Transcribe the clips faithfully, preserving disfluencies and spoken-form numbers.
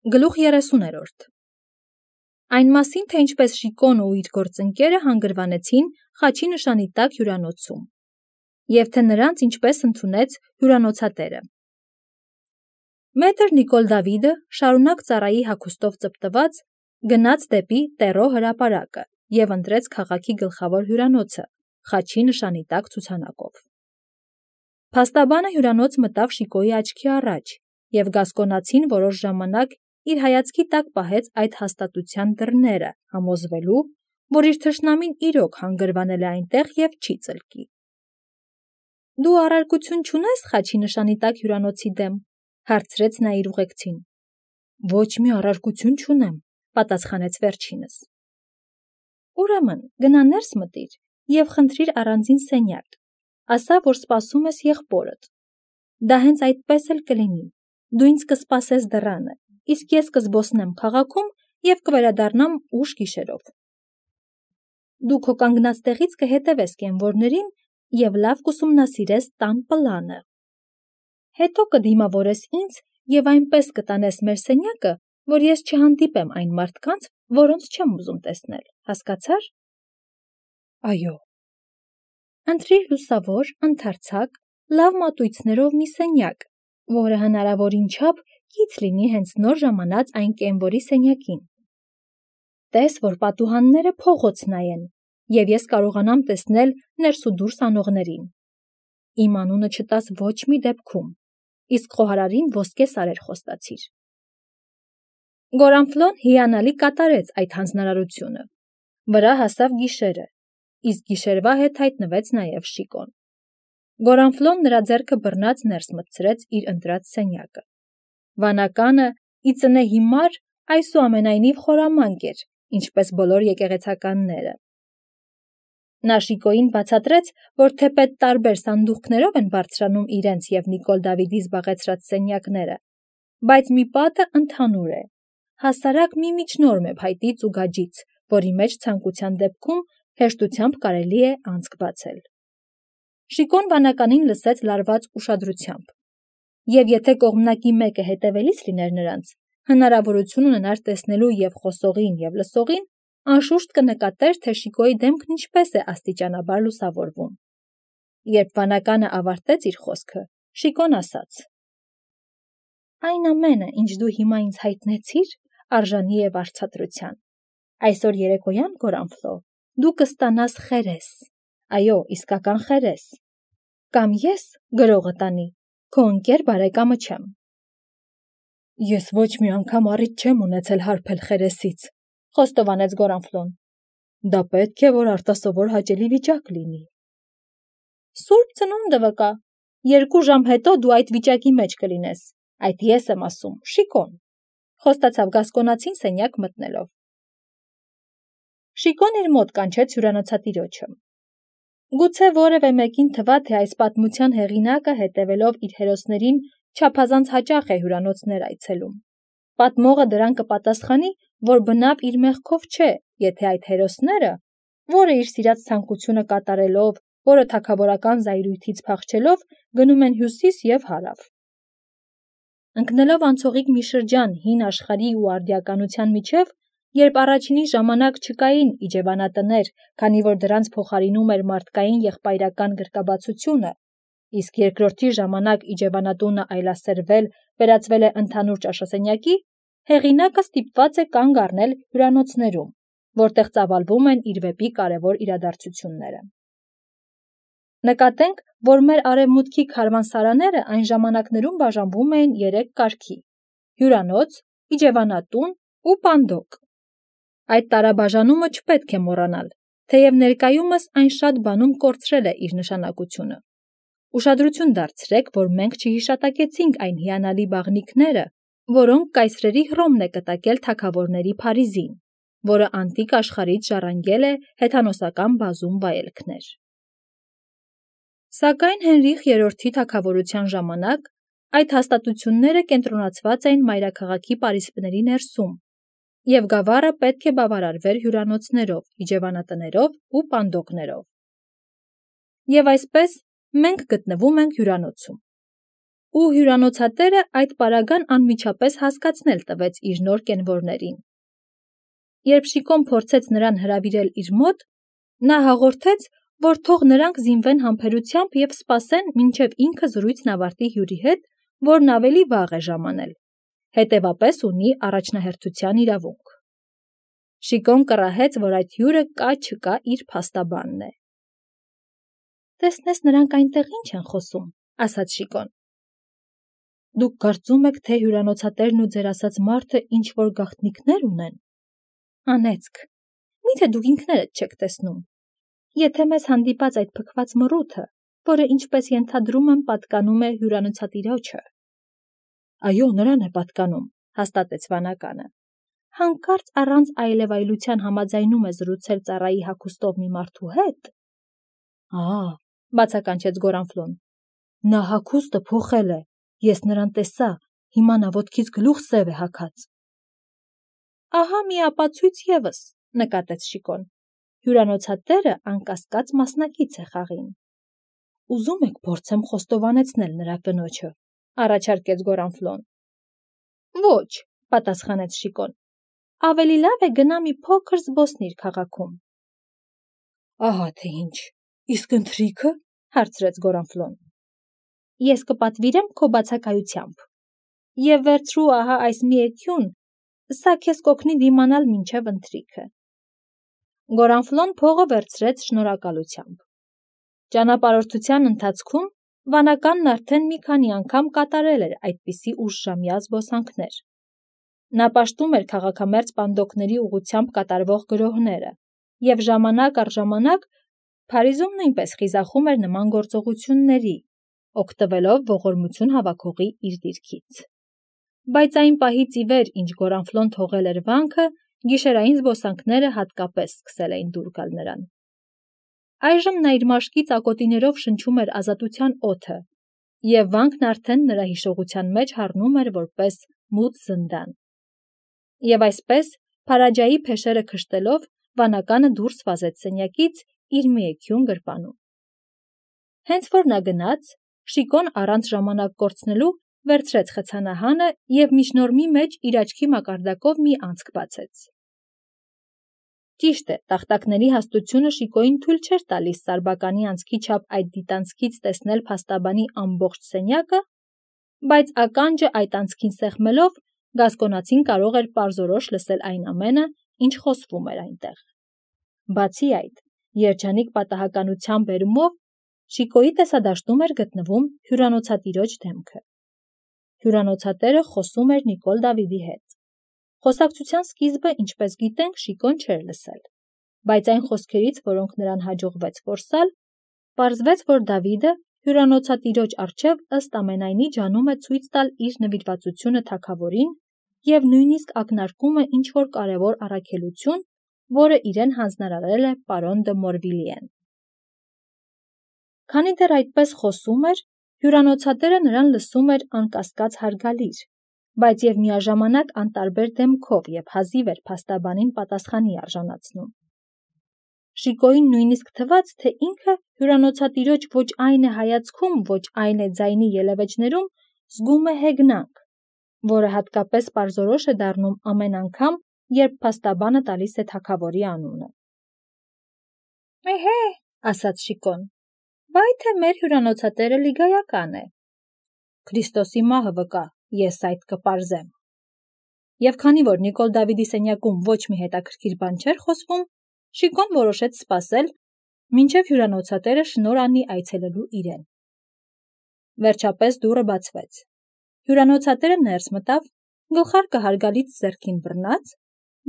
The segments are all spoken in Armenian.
Գլուխ երեսուներորդ Այն մասին, թե ինչպես Շիկոն ու իր գործընկերը հանգրվանեցին խաչի նշանի տակ հյուրանոցում, և թե նրանց ինչպես ընդունեց հյուրանոցատերը։ Մետր Նիկոլ Դավիդը շարունակ ծառայի հագուստով ծպտված գնաց դեպի Տեռո հրապարակը և ընտրեց քաղաքի գլխավոր հյուրանոցը խաչի նշանի տակ ցուցանակով։ Փաստաբանը հյուրանոց մտավ Շիկոյի աչքի առաջ, և գասկոնացին որոշ ժամանակ իր հայացքի տակ պահեց այդ հաստատության դռները, համոզվելու, որ իր թշնամին իրոք հանգրվանել է այնտեղ և չի ծլկի։ Դու առարկություն չունե՞ս խաչի նշանի տակ հյուրանոցի դեմ, հարցրեց նա իր ուղեկցին։ Ոչ մի առարկություն չունեմ, պատասխանեց վերջինս։ Ուրեմն գնա ներս մտիր և խնդրիր առանձին սենյակ, ասա, որ սպասում ես եղբորդ։ Դա հենց այդպես էլ կլինի, դու ինձ կսպասես դռանը, իսկ ես կզբոսնեմ քաղաքում և կվերադառնամ ուշ գիշերով։ Դու քո կանգնած տեղից կհետևես կենվորներին և լավ կուսումնասիրես տան պլանը։ Հետո կդիմավորես ինձ և այնպես կտանես մեր սենյակը, որ ես չհանդիպեմ այն մարդկանց, որոնց չեմ ուզում տեսնել, հասկացա՞ր։ Այո։ Ընտրիր լուսավոր, ընդարձակ, լավ մատույցներով մի սենյակ, որը հնարավորին չափ կից լինի հենց նոր ժամանած այն կենվորի սենյակին։ Տես, որ պատուհանները փողոց նայեն, և ես կարողանամ տեսնել ներս ու դուրս անողներին։ Իմ անունը չտաս ոչ մի դեպքում, իսկ խոհարարին ոսկե սարեր խոստացիր։ Գորանֆլոն հիանալի կատարեց այդ հանձնարարությունը։ Վրա հասավ գիշերը, իսկ գիշերվա հետ հայտնվեց նաև Շիկոն։ Գորանֆլոն նրա ձեռքը բռնած ներս մտցրեց իր ընտրած սենյակը։ Վանականը, ի ծնե հիմար, այսուամենայնիվ խորամանկ էր, ինչպես բոլոր եկեղեցականները։ Նա Շիկոյին բացատրեց, որ թեպետ տարբեր սանդուղքներով են բարձրանում իրենց և Նիկոլ Դավիդի զբաղեցրած սենյակները, բայց մի պատը ընդհանուր է, հասարակ մի միջնորմ է փայտից ու գաջից, որի մեջ ցանկության դեպքում հեշտությամբ կարելի է անցք բացել։ Շիկոն վանականին լսեց լարված ուշադրությամբ, և եթե կողմնակի մեկը հետևելիս լիներ նրանց, հնարավորություն ունենար տեսնելու և խոսողին, և լսողին, անշուշտ կնկատեր, թե Շիկոյի դեմքն ինչպես է աստիճանաբար լուսավորվում։ Երբ վանականը ավարտեց իր խոսքը, Շիկոն ասաց. Այն ամենը, ինչ դու հիմա ինձ հայտնեցիր, արժանի է վարձատրության։ Այսօր երեկոյան, Գորանֆլո, դու կստանաս խերես, այո, իսկական խերես, կամ ես, գրողը տանի, քո ընկեր բարեկամը չեմ։ Ես ոչ մի անգամ առիթ չեմ ունեցել հարբել խերեսից, խոստովանեց Գորանֆլոն։ Դա պետք է, որ արտասովոր հաճելի վիճակ լինի։ Սուրբ ծնունդը վկա, երկու ժամ հետո դու այդ վիճակի մեջ կլինես, այդ ես եմ ասում, Շիկոն, խոստացավ գասկոնացին սենյակ մտնելով։ Շիկոն իր մոտ կանչեց հյուրանոցատիրոջը։ Գուցե որևէ մեկին թվա, թե այս պատմության հեղինակը հետևելով իր հերոսներին չափազանց հաճախ է հյուրանոցներ այցելում։ Պատմողը դրան կպատասխանի, որ բնավ իր մեղքով չէ, եթե այդ հերոսները, որը իր սիրած ցանկությունը կատարելով, որը թագավորական զայրույթից փախչելով, գնում են հյուսիս և հարավ։ Ընկնելով անցողիկ մի շրջան հին աշխարհի ու արդիականության միջև, երբ առաջինի ժամանակ չկային իջևանատներ, քանի որ դրանց փոխարինում էր մարդկային եղբայրական գրկաբացությունը, իսկ երկրորդի ժամանակ իջևանատունը այլասերվել, վերածվել է ընդհանուր ճաշասենյակի, հեղինակը ստիպված է կանգ առնել հյուրանոցներում, որտեղ ծավալվում են իր վեպի կարևոր իրադարձությունները։ Նկատենք, որ մեր արևմուտքի քարվանսարանները այն ժամանակներում բաժանվում էին երեք կարգի՝ հյուրանոց, իջևանատուն ու պանդոկ։ Այդ տարաբաժանումը չպետք է մոռանալ, թեև ներկայումս այն շատ բանում կորցրել է իր նշանակությունը։ Ուշադրություն դարձրեք, որ մենք չհիշատակեցինք այն հիանալի բաղնիքները, որոնք կայսրերի Հռոմն է կտակել թագավորների Փարիզին, որը անտիկ աշխարհից ժառանգել է հեթանոսական բազում վայելքներ։ Սակայն Հենրիխ երրորդի թագավորության ժամանակ այդ հաստատությունները կենտրոնացված էին մայրաքաղաքի պարիսպների ներսում, և գավառը պետք է բավարարվեր հյուրանոցներով, իջևանատներով ու պանդոկներով։ Եվ այսպես մենք գտնվում ենք հյուրանոցում։ ու հյուրանոցատերը այդ պարագան անմիջապես հասկացնել տվեց իր նոր կենվորներին։ Երբ Շիկոն փորձեց նրան հրավիրել իր մոտ, նա հաղորդեց, որ թող նրանք զինվեն համբերությամբ և սպասեն, մինչև ինքը զրույցն ավարտի հյուրի հետ, որն ավելի վաղ է ժամանել, հետևապես ունի առաջնահերթության իրավունք։ Շիկոն կռահեց, որ այդ հյուրը կա-չկա իր փաստաբանն է։ «Տեսնես նրանք այնտեղ ինչ են խոսում», ասաց Շիկոն։ «Դուք կարծում եք, թե հյուրանոցատերն ու ձեր ասած մարդը ինչ-որ գաղտնիքներ ունեն»։ «Անեծք, միթե դուք ինքներդ չեք տեսնում։ Եթե մեզ հանդիպած այդ փքված մռութը, որը ինչպես ենթադրում եմ պատկանում է հյուրանոցատիրոջը»։ «Այո, նրան է պատկանում», հաստատեց վանականը։ «Հանկարծ առանց այլևայլության համաձայնում է զրուցել ծառայի հագուստով մի մարդու հետ»։ «Ա՜», բացականչեց Գորանֆլոն, «նա հագուստը փոխել է, ես նրան տեսա, հիմա նա ոտքից գլուխ սև է հագած»։ «Ահա մի ապացույց ևս», նկատեց Շիկոն, «հյուրանոցատերը անկասկած մասնակից է խաղին»։ «Ուզում եք փորձեմ խոստովանեցնել նրա կնոջը», առաջարկեց Գորանֆլոն։ «Ոչ», պատասխանեց Շիկոն, «ավելի լավ է գնա մի փոքր զբոսնիր քաղաքում»։ «Ահա թե ինչ, իսկ ընթրիքը», հարցրեց Գորանֆլոն։ «Ես կպատվիրեմ քո բացակայությամբ։ Եվ վերցրու ահա այս մի էքյուն, սա քեզ կօգնի դիմանալ մինչև ընթրիքը»։ Գորանֆլոն փողը վերցրեց շնորհակալությամբ։ Ճանապարհորդության ընթացքում վանականն արդեն մի քանի անգամ կատարել էր այդպիսի ուշժամյա զբոսանքներ։ Նա պաշտում էր քաղաքամերձ պանդոկների ուղղությամբ կատարվող գրոհները և ժամանակ առ ժամանակ Փարիզում նույնպես խիզախում էր նման գործողությունների, օգտվելով ողորմություն հավաքողի իր դիրքից։ Բայց այն պահից ի վեր, ինչ Գորանֆլոն թողել էր վանքը, գիշերային զբոսանքները հատկապես սկսել էին դուր գալ նրան։ Այժմ նա իր մաշկի ծակոտիներով շնչում էր ազատության օդը, և վանքն արդեն նրա հիշողության մեջ հառնում էր որպես մութ զնդան։ Եվ այսպես, Փարաջայի փեշերը քշտելով, վանականը դուրս վազեց սենյակից իր մի էքյուն գրպանում։ Հենց որ նա գնաց, Շիկոն առանց ժամանակ կորցնելու վերցրեց խցանահանը և միջնորմի մեջ իր աչքի մակարդակով մի անցք բացեց։ Ճիշտ է, տախտակների հաստությունը Շիկոյին թույլ չէր տալիս սարբականի անցքի չափ այդ դիտանցքից տեսնել փաստաբանի ամբողջ սենյակը, բայց ականջը այդ անցքին սեղմելով, գասկոնացին կարող էր պարզորոշ լսել այն ամենը, ինչ խոսվում էր այնտեղ։ Բացի այդ, երջանիկ պատահականության բերումով Շիկոյի տեսադաշտում էր գտնվում հյուրանոցատիրոջ դեմքը։ Հյուրանոցատերը խոսում էր Նիկոլ Դավիդի հետ։ Խոսակցության սկիզբը, ինչպես գիտենք, Շիկոն չէր լսել, բայց այն խոսքերից, որոնք նրան հաջողվեց որսալ, պարզվեց, որ Դավիդը հյուրանոցատիրոջ առջև ըստ ամենայնի ջանում է ցույց տալ իր նվիրվածությունը թագավորին և նույնիսկ ակնարկում է ինչ-որ կարևոր առաքելություն, որը իրեն հանձնարարել է պարոն դը Մորվիլիեն։ Քանի դեռ այդպես խոսում էր, հյուրանոցատերը նրան լսում էր անկասկած հարգալիր, բայց և միաժամանակ անտարբեր դեմքով և հազիվ էր փաստաբանին պատասխանի արժանացնում։ Շիկոյին նույնիսկ թվաց, թե ինքը հյուրանոցատիրոջ ոչ այն է հայացքում, ոչ այն է ձայնի ելևէջներում զգում է հեգնանք, որը հատկապես պարզորոշ է դառնում ամեն անգամ, երբ փաստաբանը տալիս է թագավորի անունը։ «Էհե», ասաց Շիկոն, «բայ թե մեր հյուրանոցատերը լիգայական է»։ «Քրիստոսի մահը վկա, ես այդ կպարզեմ»։ Եվ քանի որ Նիկոլ Դավիդի սենյակում ոչ մի հետաքրքիր բան չէր խոսվում, Շիկոն որոշեց սպասել, մինչև հյուրանոցատերը շնորհ անի այցելելու իրեն։ Վերջապես դուռը բացվեց։ Հյուրանոցատերը ներս մտավ, գլխարկը հարգալից ձեռքին բռնած,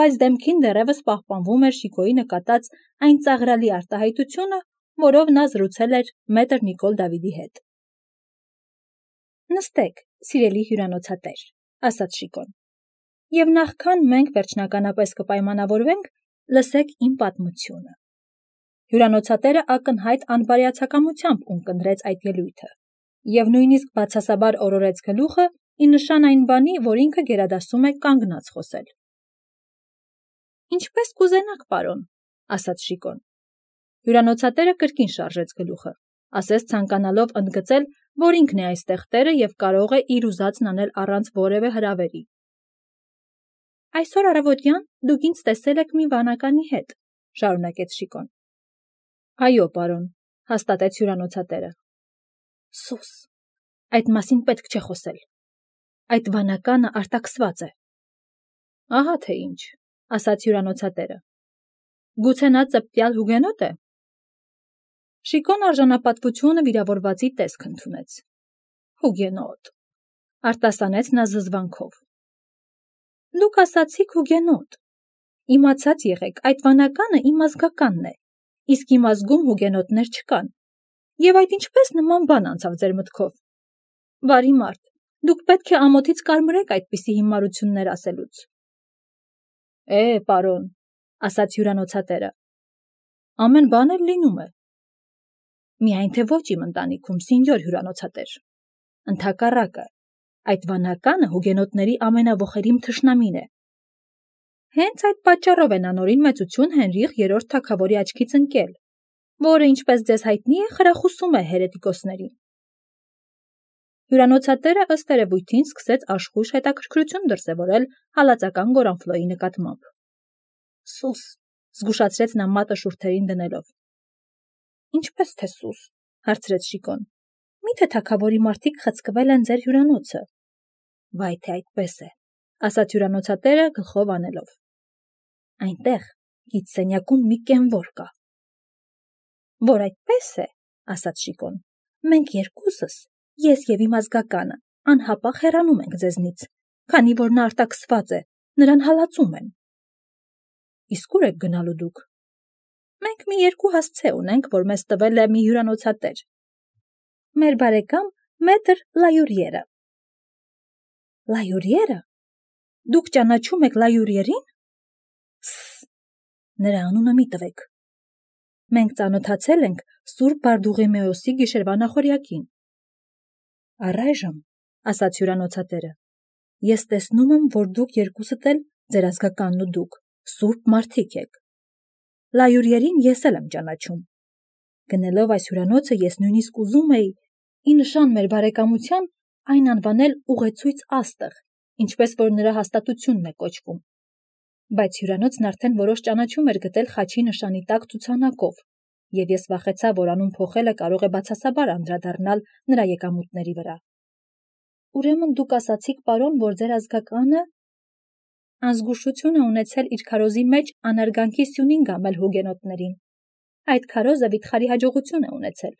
բայց դեմքին դեռևս պահպանվում էր Շիկոյի նկատած այն ծաղրալի արտահայտությունը, որով նա զրուցել էր մետր Նիկոլ Դավիդի հետ։ «Նստեք, սիրելի հյուրանոցատեր», ասաց Շիկոն, «և նախքան մենք վերջնականապես կպայմանավորվենք, լսեք իմ պատմությունը»։ Հյուրանոցատերը ակնհայտ անբարյացակամությամբ ունկնդրեց այդ ելույթը և նույնիսկ բացասաբար օրորեց գլուխը ի նշան այն բանի, որ ինքը գերադասում է կանգնած խոսել։ «Ինչպես կուզենաք, պարոն», ասաց Շիկոն։ Հյուրանոցատերը կրկին շարժեց գլուխը, ասես ցանկանալով ընդգծել, որ ինքն է այստեղ տերը և կարող է իր ուզածն անել առանց որևէ հրավերի։ Այսօր առավոտյան դուք ինձ տեսել եք մի վանականի հետ, շարունակեց Շիկոն։ Այո, պարոն, հաստատեց հյուրանոցատերը։ Սուս, այդ մասին պետք չէ խոսել։ Այդ վանականը արտաքսված է։ Ահա թե ինչ, ասաց հյուրանոցատերը։ Գուցե նա ծպտյալ հուգենոտ է։ Շիկոն արժանապատվությունը վիրավորվածի տեսք ընդունեց։ Հուգենոտ, արտասանեց նա զզվանքով։ Դուք ասացիք հուգենոտ։ Իմացած եղեք, այդ վանականը իմ ազգականն է, իսկ իմ ազգում հուգենոտներ չկան։ Եվ այդ ինչպես նման բան անցավ ձեր մտքով։ Բարի մարդ, դուք պետք է ամոթից կարմրեք այդպիսի հիմարություններ ասելուց։ Է, պարոն, ասաց հյուրանոցատերը։ Ամեն բան էլ լինում է։ Միայն թե ոչ իմ ընտանիքում, սինյոր հյուրանոցատեր։ Ընդհակառակը, այդ վանականը հուգենոտների ամենաոխերիմ թշնամին է։ Հենց այդ պատճառով է նա նորին մեծություն Հենրիխ երրորդ թագավորի աչքից ընկել, որը, ինչպես ձեզ հայտնի է, խրախուսում է հերետիկոսներին։ Հյուրանոցատերը ըստ երևույթին սկսեց աշխույժ հետաքրքրություն դրսևորել հալածական Գորանֆլոյի նկատմամբ։ Սուս, զգուշացրեց նա մատը շուրթերին դնելով։ Ինչպես թե սուս, հարցրեց Շիկոն։ Միթե թագավորի մարդիկ խցկվել են ձեր հյուրանոցը։ Վայ թե այդպես է, ասաց հյուրանոցատերը գլխով անելով։ Այնտեղ գիծսենյակում մի կենվոր կա։ Որ այդպես է, ասաց Շիկոն, մենք երկուսս, ես և իմ ազգականը, անհապաղ հեռանում ենք ձեզնից, քանի որ նա արտաքսված է, նրան հալածում են։ Իսկ ուր եք գնալու դուք։ Մենք մի երկու հասցե ունենք, որ մեզ տվել է մի հյուրանոցատեր։ Մեր բարեկամ մետր Լայուրիերը։ Լայուրիերը։ Դուք ճանաչում եք Լայուրիերին։ Սս, նրա անունը մի տվեք։ Մենք ծանոթացել ենք Սուրբ Բարդուղիմեոսի գիշերվա նախօրյակին։ Առայժմ, ասաց հյուրանոցատերը, ես տեսնում եմ, որ դուք երկուսդ էլ, ձեր ազգականն ու դուք, սուրբ մարդիկ եք։ Լայուրիերին ես էլ եմ ճանաչում։ Գնելով այս հյուրանոցը ես նույնիսկ ուզում էի, ի նշան մեր բարեկամության, այն անվանել ուղեցույց աստղ, ինչպես որ նրա հաստատությունն է կոչվում։ Բայց հյուրանոցն արդեն որոշ ճանաչում էր գտել խաչի նշանի տակ ցուցանակով, և ես վախեցա, որ անուն փոխելը կարող է բացասաբար անդրադառնալ նրա եկամուտների վրա։ Ուրեմն դուք ասացիք, պարոն, որ ձեր ազգականը անզգուշություն է ունեցել իր քարոզի մեջ անարգանքի սյունին գամել հուգենոտներին։ Այդ քարոզը վիթխարի հաջողություն է ունեցել։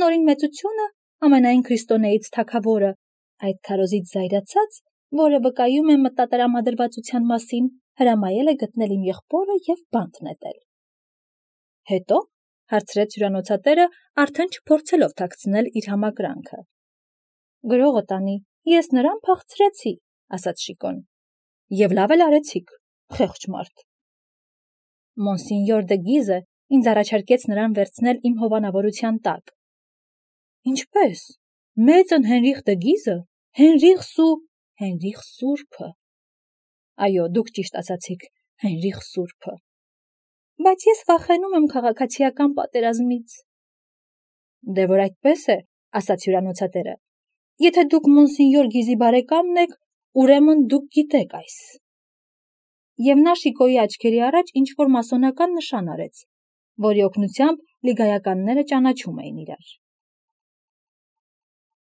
Նորին մեծությունը, ամենայն քրիստոնեից թագավորը, այդ քարոզից զայրացած, որը վկայում է մտատրամադրվածության մասին, հրամայել է գտնել իմ եղբորը և բանտ նետել։ Հետո, հարցրեց հյուրանոցատերը, արդեն չփորձելով թաքցնել իր համակրանքը։ Գրողը տանի, ես նրան փախցրեցի, ասաց Շիկոն։ Եվ լավ էլ արեցիք, խեղճ մարդ։ Մոնսինյոր դը Գիզը ինձ առաջարկեց նրան վերցնել իմ հովանավորության տակ։ Ինչպես։ Մեծն Հենրիխ դը Գիզը, Հենրիխ Սու, Հենրիխ Սուրբը։ Այո, դուք ճիշտ ասացիք, Հենրիխ Սուրբը։ Բայց ես վախենում եմ քաղաքացիական պատերազմից։ Դե որ այդպես է, ասաց հյուրանոցատերը։ Եթե դուք մոնսինյոր Գիզի բարեկամն եք, ուրեմն դուք գիտեք այս։ Եվ նա Շիկոյի աչքերի առաջ ինչ-որ մասոնական նշան արեց, որի օգնությամբ լիգայականները ճանաչում էին իրար։